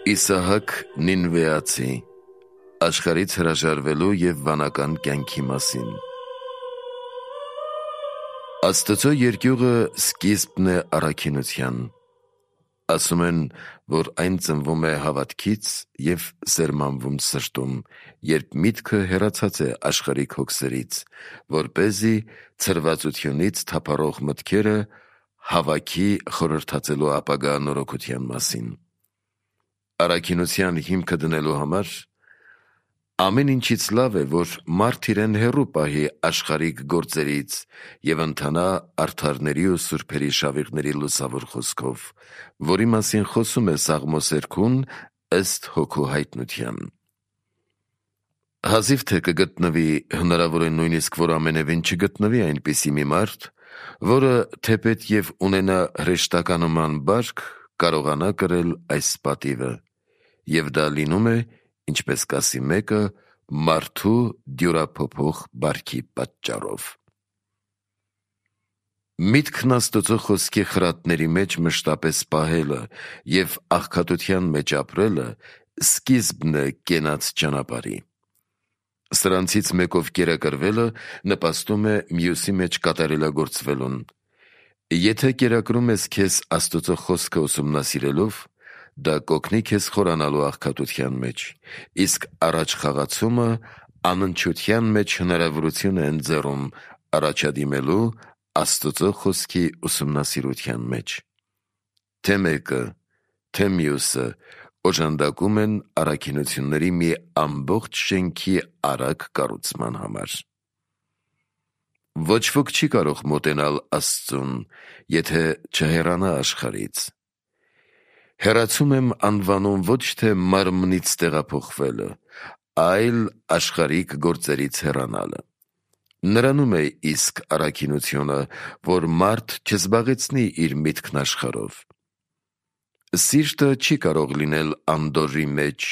Իսահակ Նինվեացի աշխարհից հրաժարվելու և վանական կյանքի մասին։ Աստծո երկյուղը սկիզբն է առաքինության։ Ասում են, որ այն ծնվում է հավատքից և սերմանվում սրտում, երբ միտքը հեռացած է աշխարհիկ հոգսերից, որպեսզի ցրվածությունից թափառող մտքերը հավաքի խորհրդածելու ապագա նորոգության մասին։ Առաքինության հիմքը դնելու համար ամեն ինչից լավ է, որ մարդ իրեն հեռու պահի աշխարհիկ գործերից և ընթանա արդարների ու սուրբերի շավիղների լուսավոր խոսքով, որի մասին խոսում է Սաղմոս 2-ն ըստ Հոգու հայտնության։ Հազիվ թե կգտնվի, հնարավոր է նույնիսկ, որ ամենևին չգտնվի այնպիսի մի մարդ, որը թեպետ և ունենա հրեշտականոման բարք, կարողանա կրել այս պատիվը, և դա լինում է, ինչպես կասի մեկը, մարդու դյուրափոփող բարքի պատճառով։ Միտքն Աստծո խոսքի խրատների մեջ մշտապես պահելը և աղքատության մեջ ապրելը սկիզբն է կենաց ճանապարհի։ Սրանցից մեկով կերակրվելը նպաստում է մյուսի մեջ կատարելագործվելուն։ Եթե կերակրում ես քեզ Աստծո խոսքը ուսումնասիրելով, դա կօգնի քեզ խորանալու աղքատության մեջ, իսկ առաջ խաղացումը անընդչության մեջ հնարավորություն է ընձեռում առաջադիմելու Աստծո խոսքի ուսումնասիրության մեջ։ Թե մեկը, թե մյուսը օժանդակում են առաքինությունների մի ամբողջ շենքի արագ կառուցման համար։ Ոչ ոք չի կարող մոտենալ Աստծուն, եթե չհեռանա աշխարհից։ Հեռացում եմ անվանում ոչ թե մարմնից տեղափոխվելը, այլ աշխարհիկ գործերից հեռանալը։ Նրանում է իսկ առաքինությունը, որ մարդ չզբաղեցնի իր միտքն աշխարհով։ Սիրտը չի կարող լինել անդորրի մեջ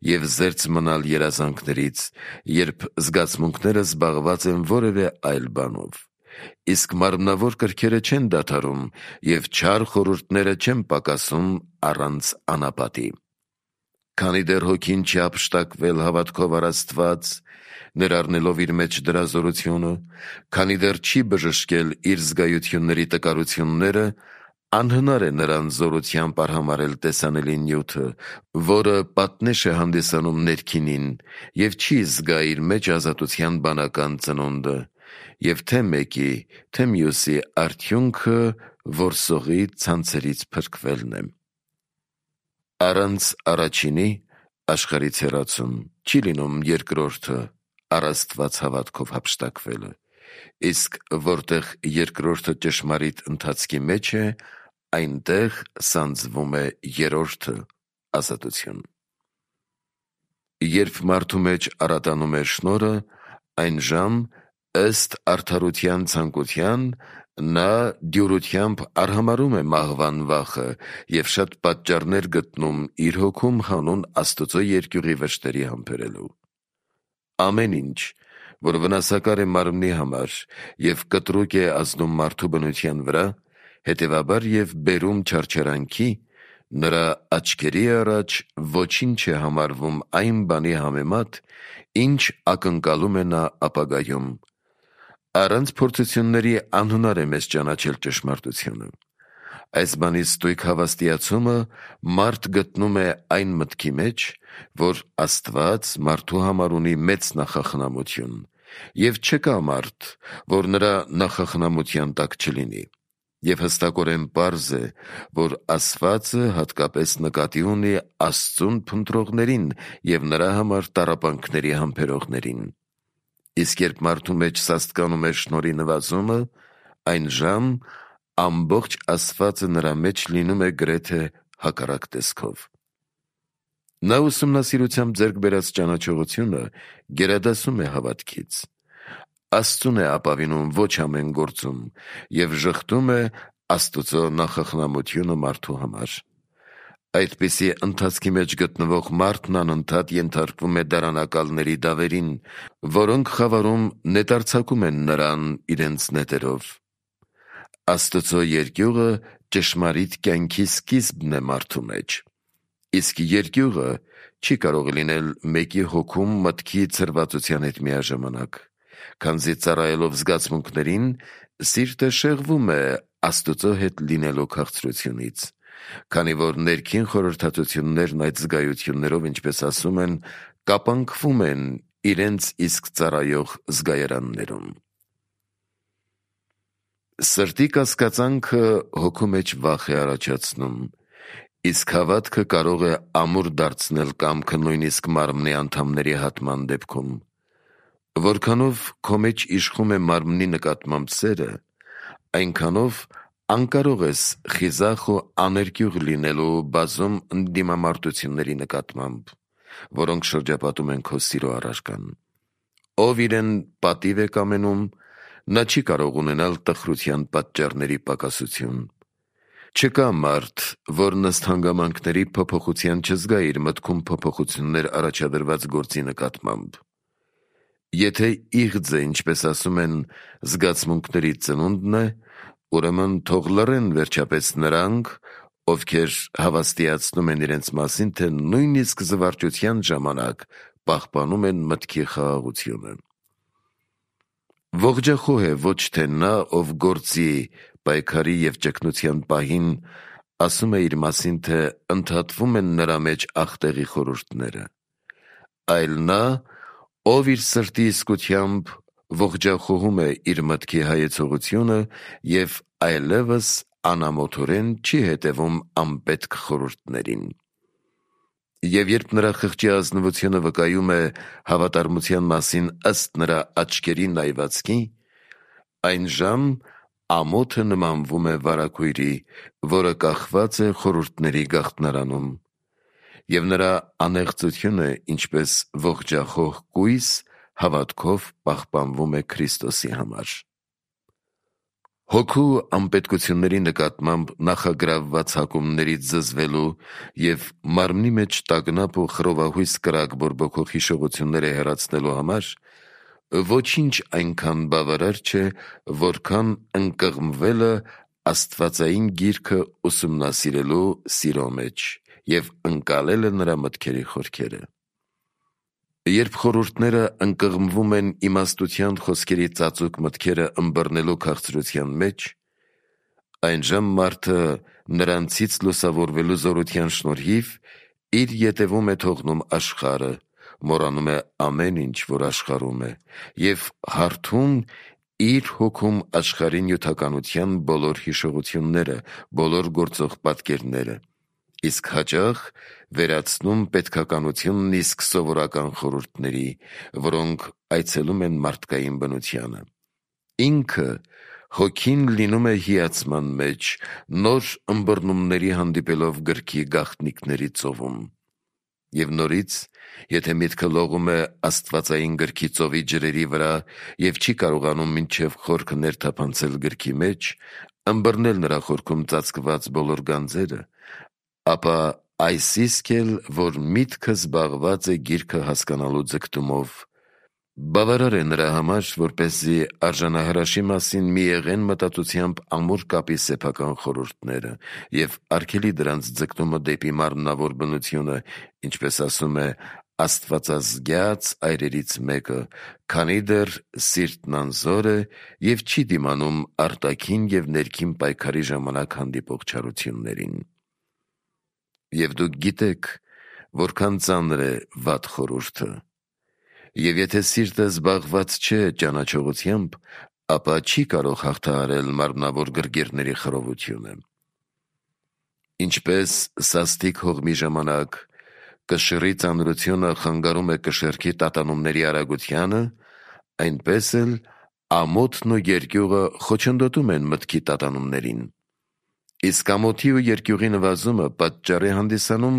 և զերծ մնալ երազանքներից, երբ զգացմունքները զբաղված են որևէ այլ բանով, իսկ մարմնավոր կրքերը չեն դադարում և չար խորհուրդները չեն պակասում առանց անապատի։ Քանի դեռ հոգին չի հափշտակվել հավատքով առ Աստված, ներառնելով իր մեջ դրա զորությունը, քանի դեռ չի բժշկել իր զգայությունների տկարությունները, անհնար է նրան զորությամբ արհամարհել տեսանելի նյութը, որը պատնեշ է հանդիսանում ներքինին և չի զգա իր մեջ ազատության բանական ծնունդը, և թե մեկի, թե մյուսի արդյունքը որսողի ցանցերից փրկվելն է։ Առանց առաջինի աշխարհից հեռացում չի լինում երկրորդը առ Աստված հավատքով հափշտակվելը, իսկ որտեղ երկրորդը ճշմարիտ ընթացքի մեջ է, այնտեղ սանձվում է երրորդը՝ ազատություն։ Երբ մարդու մեջ արատանում է շնորհը, այնժամ, ըստ արդարության ցանկության, նա դյուրությամբ արհամարհում է մահվան վախը և շատ պատճառներ գտնում իր հոգում հանուն Աստծո երկյուղի վշտերի համբերելու։ Ամեն ինչ, որ վնասակար է մարմնի համար և կտրուկ է ազդում մարդու բնության վրա, հետևաբար և բերում չարչարանքի, նրա աչքերի առաջ ոչինչ է համարվում այն բանի համեմատ, ինչ ակնկալում է նա ապագայում։ Առանց փորձությունների անհնար է մեզ ճանաչել ճշմարտությունը։ Այս բանի ստույգ հավաստիացումը մարդ գտնում է այն մտքի մեջ, որ Աստված մարդու համար ունի մեծ նախախնամություն, և չկա մարդ, որ նրա նախախնամության տակ չլինի, և հստակորեն պարզ է, որ ասվածը հատկապես նկատի ունի Աստծուն փնտրողներին և նրա համար տառապանքների համբերողներին։ Իսկ երբ մարդու մեջ սաստկանում է շնորհի նվազումը, այնժամ ամբողջ ասվածը նրա մեջ լինում է գրեթե հակառակ տեսքով։ Նա ուսումնասիրությամբ ձեռք բերած ճանաչողությունը գերադասում է հավատքից։ Աստծուն է ապավինում ոչ ամեն գործում և ժխտում է Աստծո նախախնամությունը մարդու համար։ Այդպիսի ընթացքի մեջ գտնվող մարդն անընդհատ ենթարկվում է դարանակալների դավերին, որոնք խավարում նետարձակում են նրան իրենց նետերով։ Աստծո երկյուղը ճշմարիտ կյանքի սկիզբն է մարդու մեջ։ Իսկ երկյուղը չի կարող լինել մեկի հոգում մտքի ցրվածության հետ միաժամանակ, քանզի ծառայելով զգացմունքներին, սիրտը շեղվում է Աստծո հետ լինելու քաղցրությունից, քանի որ ներքին խորհրդատվություններն այդ զգայություններով, ինչպես ասում են, կապանքվում են իրենց իսկ ծառայող զգայարաններում։ Սրտի կասկածանքը հոգու մեջ վախ է առաջացնում, իսկ հավատքը կարող է ամուր դարձնել կամքը նույնիսկ մարմնի անդամների հատման դեպքում։ Որքանով քո մեջ իշխում է մարմնի նկատմամբ սերը, այնքանով անկարող ես խիզախ ու աներկյուղ լինելու բազում ընդդիմամարտությունների նկատմամբ, որոնք շրջապատում են քո սիրո առարկան։ Ով իրեն պատիվ է կամենում, նա չի կարող ունենալ տխրության պատճառների պակասություն։ Չկա մարդ, որ ըստ հանգամանքների փոփոխության չզգա իր մտքում փոփոխություններ առաջադրված գործի նկատմամբ։ Եթե իղձը, ինչպես ասում են, զգացմունքների ծնունդն է, ուրեմն թող լռեն վերջապես նրանք, ովքեր հավաստիացնում են իրենց մասին, թե նույնիսկ զվարճության ժամանակ պահպանում են մտքի խաղաղությունը։ Ողջախոհ է ոչ թե նա, ով գործի, պայքարի և ճգնության պահին ասում է իր մասին, թե ընդհատվում են նրա մեջ ախտեղի խորհուրդները, այլ նա, ով իր սրտի իսկությամբ ողջախոհում է իր մտքի հայեցողությունը և այլևս անամոթորեն չի հետևում անպետք խորհուրդներին։ Եվ երբ նրա խղճի ազնվությունը վկայում է հավատարմության մասին ըստ նրա աչքերի նայվածքի, այնժամ ամոթը նմանվում է վարագույրի, որը կախված է խորհուրդների գաղտնարանում, և նրա անեղծությունը, ինչպես ողջախոհ կույս, հավատքով պահպանվում է Քրիստոսի համար։ Հոգու անպետքությունների նկատմամբ նախագրավված հակումներից զզվելու և մարմնի մեջ տագնապ ու խռովահույս կրակ բորբոքող հիշողությունները հեռացնելու համար ոչինչ այնքան բավարար չէ, որքան ընկղմվելը աստվածային գիրքը ուսումնասիրելու սիրո մեջ և ընկալելը նրա մտքերի խորքերը։ Երբ խորհուրդները ընկղմվում են իմաստության խոսքերի ծածուկ մտքերը ըմբռնելու քաղցրության մեջ, այնժամ մարդը նրանցից լուսավորվելու զորության շնորհիվ իր ետևում է թողնում աշխարհը, մոռանում է ամեն ինչ, որ աշխարհում է, և հարթում իր հոգում աշխարհի նյութականության բոլոր հիշողությունները, բոլոր գործող պատկերները, իսկ հաճախ վերացնում պետքականությունն իսկ սովորական խորհուրդների, որոնք այցելում են մարդկային բնությանը։ Ինքը հոգին լինում է հիացման մեջ, նոր ըմբռնումների հանդիպելով գրքի գաղտնիքների ծովում։ Եվ նորից, եթե միտքը լողում է աստվածային գրքի ծովի ջրերի վրա և չի կարողանում մինչև խորքը ներթափանցել գրքի մեջ, ըմբռնել նրա խորքում ծածկված բոլոր գանձերը, ապա այս իսկ էլ, որ միտքը զբաղված է գիրքը հասկանալու ձգտումով, բավարար է նրա համար, որպեսզի արժանահրաշի մասին միեղեն մտածությամբ ամուր կապի սեփական խորհուրդները և արգելի դրանց ձգտումը դեպի մարմնավոր բնությունը, ինչպես ասում է Աստվածազգյաց այրերից մեկը, քանի դեռ սիրտն անզոր է և չի դիմանում արտաքին և ներքին պայքարի ժամանակ հանդիպող չարություններին։ Եվ դուք գիտեք, որքան ծանր է վատ խորհուրդը, և եթե սիրտը զբաղված չէ ճանաչողությամբ, ապա չի կարող հաղթահարել մարմնավոր գրգիռների խռովությունը։ Ինչպես սաստիկ հողմի ժամանակ կշռի ծանրությունը խանգարում է կշեռքի տատանումների արագությանը, այնպես էլ ամոթն ու երկյուղը խոչընդոտում են մտքի տատանումներին։ Իսկ ամոթի ու երկյուղի նվազումը պատճառ է հանդիսանում,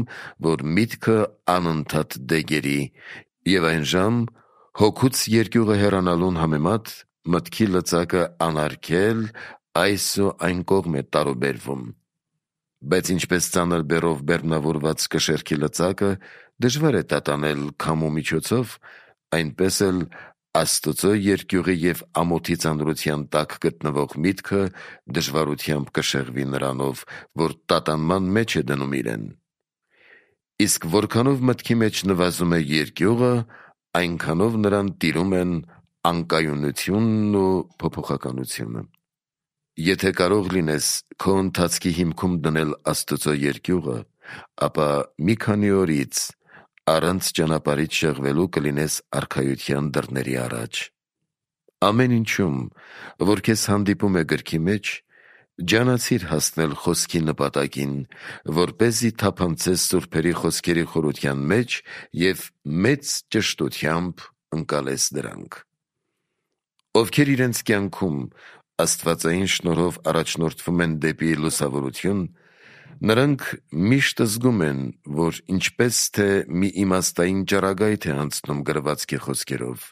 որ միտքը անընդհատ դեգերի, և այնժամ հոգուց երկյուղը հեռանալուն համեմատ մտքի լծակը անարգել այս ու այն կողմ է տարուբերվում։ Բայց ինչպես ծանր բեռով բեռնավորված կշեռքի լծակը դժվար է տատանել քամու միջոցով, այնպես էլ Աստծո երկյուղի և ամոթի ծանրության տակ գտնվող միտքը դժվարությամբ կշեղվի նրանով, որ տատանման մեջ է դնում իրեն։ Իսկ որքանով մտքի մեջ նվազում է երկյուղը, այնքանով նրան տիրում են անկայունությունն ու փոփոխականությունը։ Եթե կարող լինես քո ընթացքի հիմքում դնել Աստծո երկյուղը, ապա մի քանի օրից առանց ճանապարհից շեղվելու կլինես արքայության դռների առաջ։ Ամեն ինչում, որ քեզ հանդիպում է գրքի մեջ, ջանացիր հասնել խոսքի նպատակին, որպեսզի թափանցես սուրբերի խոսքերի խորության մեջ և մեծ ճշտությամբ ընկալես դրանք։ Ովքեր իրենց կյանքում աստվածային շնորհով առաջնորդվում են դեպի լուսավորություն, նրանք միշտ զգում են, որ ինչպես թե մի իմաստային ճառագայթ է անցնում գրվածքի խոսքերով,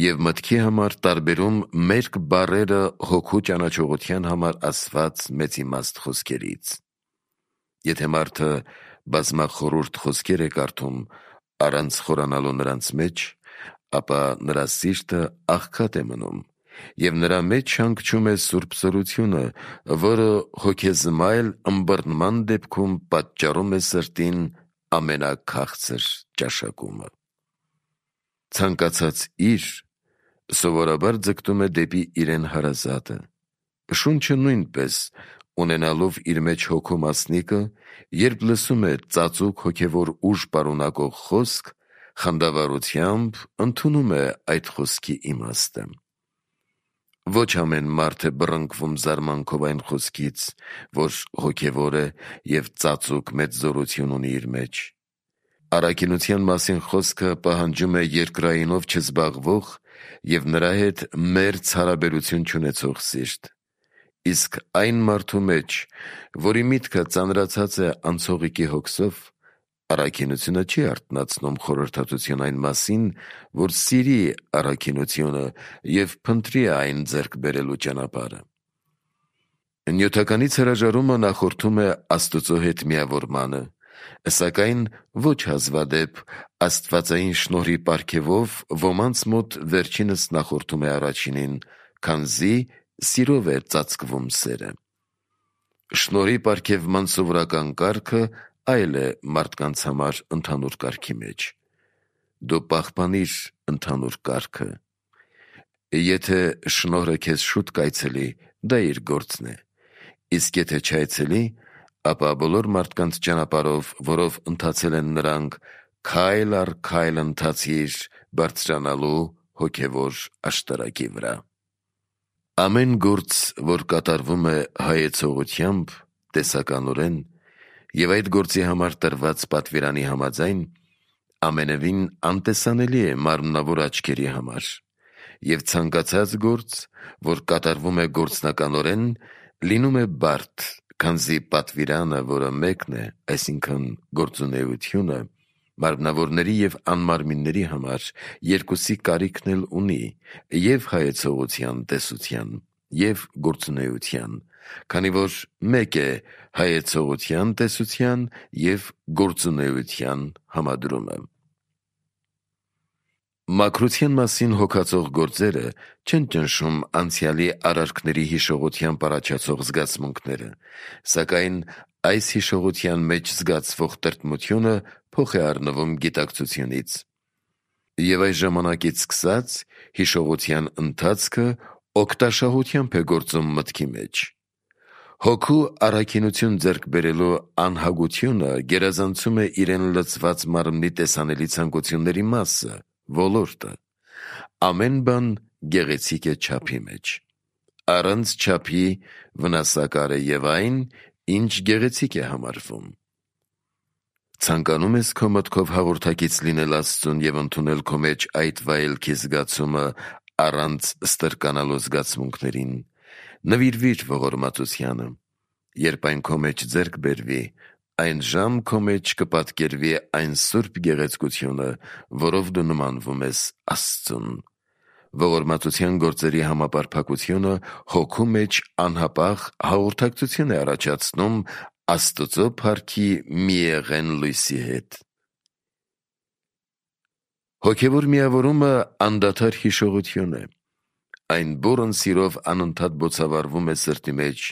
և մտքի համար տարբերում մերկ բառերը հոգու ճանաչողության համար ասված մեծիմաստ խոսքերից։ Եթե մարդը բազմախորհուրդ խոսքեր է կարդում առանց խորանալու նրանց մեջ, ապա նրա սիրտը աղքատ է մնում, և նրա մեջ հանգչում է սուրբ զորությունը, որը հոգեզմայլ ըմբռնման դեպքում պատճառում է սրտին ամենաքաղցր ճաշակումը։ Ցանկացած իր սովորաբար ձգտում է դեպի իրեն հարազատը։ Շունչը նույնպես, ունենալով իր մեջ հոգու մասնիկը, երբ լսում է ծածուկ հոգևոր ուժ պարունակող խոսք, խանդավառությամբ ընդունում է այդ խոսքի իմաստը։ Ոչ ամեն մարդ է բռնկվում զարմանքով այն խոսքից, որ հոգևոր է և ծածուկ մեծ զորություն ունի իր մեջ։ Առաքինության մասին խոսքը պահանջում է երկրայինով չզբաղվող և նրա հետ մերձ հարաբերություն չունեցող սիրտ։ Իսկ այն մարդու մեջ, որի միտքը ծանրացած է անցողիկի հոգսով, առաքինությունը չի արթնացնում խորհրդատություն այն մասին, որ սիրի առաքինությունը և փնտրի այն ձեռք բերելու ճանապարհը։ Նյութականից հրաժարումը նախորդում է Աստծո հետ միավորմանը, սակայն ոչ հազվադեպ աստվածային շնորհի պարգևով ոմանց մոտ վերջինս նախորդում է առաջինին, քանզի սիրով է ծածկվում սերը։ Շնորհի պարգևման սովորական կարգը այլ է մարդկանց համար ընդհանուր կարգի մեջ։ Դու պահպանիր ընդհանուր կարգը։ Եթե շնորհը քեզ շուտ կայցելի, դա իր գործն է, իսկ եթե չայցելի, ապա բոլոր մարդկանց ճանապարհով, որով ընթացել են նրանք, քայլ առ քայլ ընթացիր բարձրանալու հոգևոր աշտարակի վրա։ Ամեն գործ, որ կատարվում է հայեցողությամբ, տեսականորեն, և այդ գործի համար տրված պատվիրանի համաձայն, ամենևին անտեսանելի է մարմնավոր աչքերի համար, և ցանկացած գործ, որ կատարվում է գործնականորեն, լինում է բարդ, քանզի պատվիրանը, որը մեկն է, այսինքն գործունեությունը, մարմնավորների և անմարմինների համար երկուսի կարիքն էլ ունի, և հայեցողության տեսության, և գործունեության, քանի որ մեկ է հայեցողության տեսության և գործունեության համադրումը։ Մաքրության մասին հոգացող գործերը չեն ճնշում անցյալի արարքների հիշողությամբ առաջացող զգացմունքները, սակայն այս հիշողության մեջ զգացվող տրտմությունը փոխ է առնվում գիտակցությունից, և այս ժամանակից սկսած հիշողության ընթացքը օգտաշահությամբ է գործում մտքի մեջ։ Հոգու առաքինություն ձեռք բերելու անհագությունը գերազանցում է իրեն լցված մարմնի տեսանելի ցանկությունների մասը, ոլորտը։ Ամեն բան գեղեցիկ է չափի մեջ։ Առանց չափի վնասակար է և այն, ինչ գեղեցիկ է համարվում։ Ցանկանում ես քո մտքով հաղորդակից լինել Աստծուն և ընդունել քո մեջ այդ վայելքի զգացումը առանց ստրկանալու զգացմունքներին, նվիրվիր ողորմածությանը։ Երբ այն քո մեջ ձեռք բերվի, այնժամ քո մեջ կպատկերվի այն սուրբ գեղեցկությունը, որով դու նմանվում ես Աստծուն։ Ողորմածության գործերի համապարփակությունը հոգու մեջ անհապաղ հաղորդակցություն է առաջացնում Աստծո փառքի միեղեն լույսի հետ։ Հոգևոր միավորումը անդադար հիշողություն է։ Այն բուրըն սիրով անընդհատ բոցավառվում է սրտի մեջ,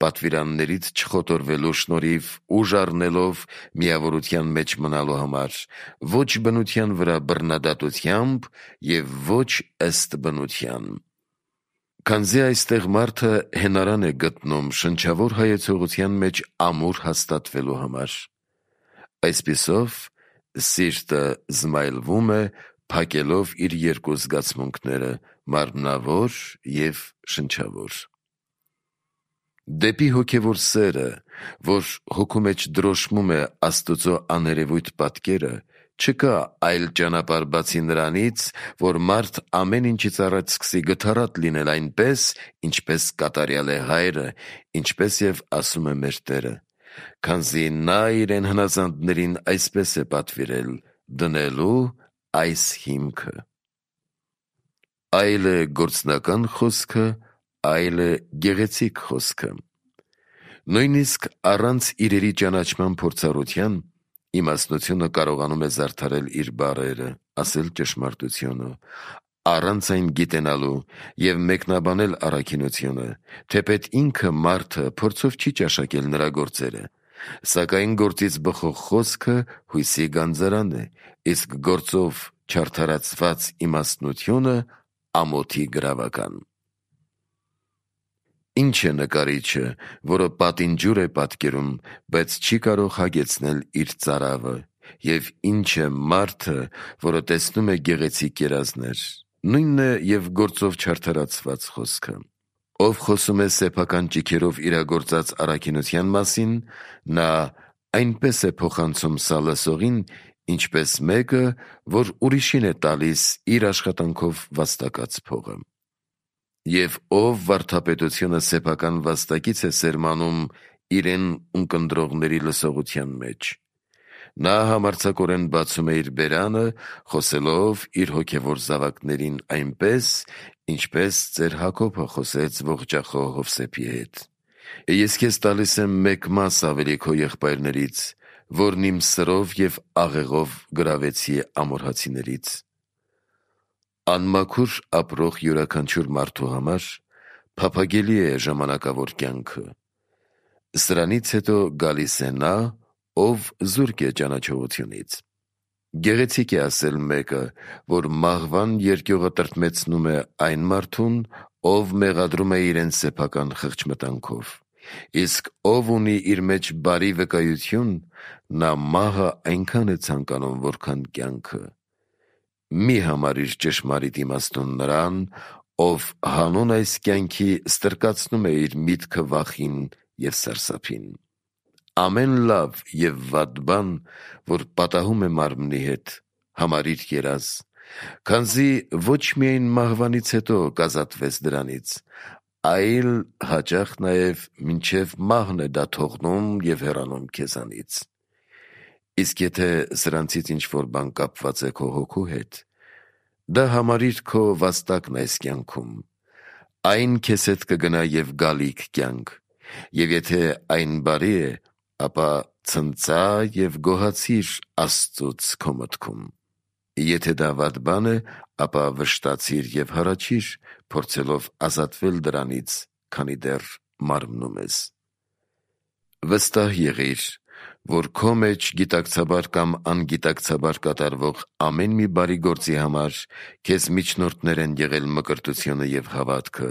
պատվիրաններից չխոտորվելու շնորհիվ ուժ առնելով միավորության մեջ մնալու համար, ոչ բնության վրա բռնադատությամբ և ոչ ըստ բնության։ Քանզի այստեղ մարդը հենարան է գտնում շնչավոր հայեցողության մեջ ամուր հաստատվելու համար։ Այսպիսով, սիրտը զմայլվում է, փակելով իր երկու զգացմունքները՝ մարմնավոր և շնչավոր։ Դեպի հոգևոր սերը, որ հոգու մեջ դրոշմում է Աստծո աներևույթ պատկերը, չկա այլ ճանապարհ բացի նրանից, որ մարդ ամեն ինչից առաջ սկսի գթառատ լինել այնպես, ինչպես կատարյալ է Հայրը, ինչպես և ասում է մեր Տերը, քանզի նա իրեն հնազանդներին այսպես է պատվիրել՝ դնելու այս հիմքը։ Այլ է գործնական խոսքը, այլ է գեղեցիկ խոսքը։ Նույնիսկ առանց իրերի ճանաչման փորձառության իմաստնությունը կարողանում է զարդարել իր բառերը, ասել ճշմարտությունը, առանց այն գիտենալու և մեկնաբանել առաքինությունը, թեպետ ինքը մարդը փորձով չի ճաշակել նրա գործերը, սակայն գործից բխող խոսքը հույսի գանձարան է, իսկ գործով չարդարացված իմաստնությունը ամոթի գրավական։ Ինչ է նկարիչը, որը պատին ջուր է պատկերում, բայց չի կարող հագեցնել իր ծարավը, և ինչ է մարդը, որը տեսնում է գեղեցիկ երազներ, նույնն է և գործով չարդարացված խոսքը։ Ով խոսում է սեփական ճիգերով իրագործած առաքինության մասին, նա այնպես է փոխանցում սա լսողին, ինչպես մեկը, որ ուրիշին է տալիս իր աշխատանքով վաստակած փողը։ Եվ ով վարդապետությունը սեփական վաստակից է սերմանում իրեն ունկնդրողների լսողության մեջ, նա համարձակորեն բացում է իր բերանը, խոսելով իր հոգևոր զավակներին այնպես, ինչպես ծեր Հակոբը խոսեց ողջախոհ Հովսեփի հետ. «Ես քեզ տալիս եմ մեկ մաս ավելի քո եղբայրներից, որն իմ սրով և աղեղով գրավեցի ամորհացիներից»։ Անմաքուր ապրող յուրաքանչյուր մարդու համար փափագելի է ժամանակավոր կյանքը։ Սրանից հետո գալիս է նա, ով զուրկ է ճանաչողությունից։ Գեղեցիկ է ասել մեկը, որ մահվան երկյուղը տրտմեցնում է այն մարդուն, ով մեղադրում է իրեն սեփական խղճմտանքով, իսկ ով ունի իր մեջ բարի վկայություն, նա մահը այնքան է ցանկանում, որքան կյանքը։ Մի համարիր ճշմարիտ իմաստուն նրան, ով հանուն այս կյանքի ստրկացնում է իր միտքը վախին և սարսափին։ Ամեն լավ և վատ բան, որ պատահում է մարմնի հետ, համարիր երազ, քանզի ոչ միայն մահվանից հետո կազատվես դրանից, այլ հաճախ նաև մինչև մահն է դա թողնում և հեռանում քեզանից։ Իսկ եթե սրանցից ինչ-որ բան կապված է քո հոգու հետ, դա համարիր քո վաստակն այս կյանքում, այն քեզ հետ կգնա և գալիք կյանք, և եթե այն բարի է, ապա ցնծա և գոհացիր Աստծուց քո մտքում, եթե դա վատ բան է, ապա վշտացիր և հառաչիր, փորձելով ազատվել դրանից, քանի դեռ մարմնում ես։ Վստահ եղիր, որ քո մեջ գիտակցաբար կամ անգիտակցաբար կատարվող ամեն մի բարի գործի համար քեզ միջնորդներ են եղել մկրտությունը և հավատքը,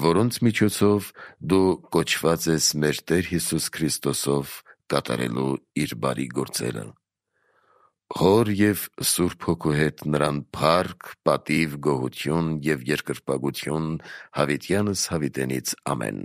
որոնց միջոցով դու կոչված ես մեր Տեր Հիսուս Քրիստոսով կատարելու իր բարի գործերը։ Հոր և Սուրբ Հոգու հետ նրան փառք, պատիվ, գոհություն և երկրպագություն հավիտյանս հավիտենից ամեն։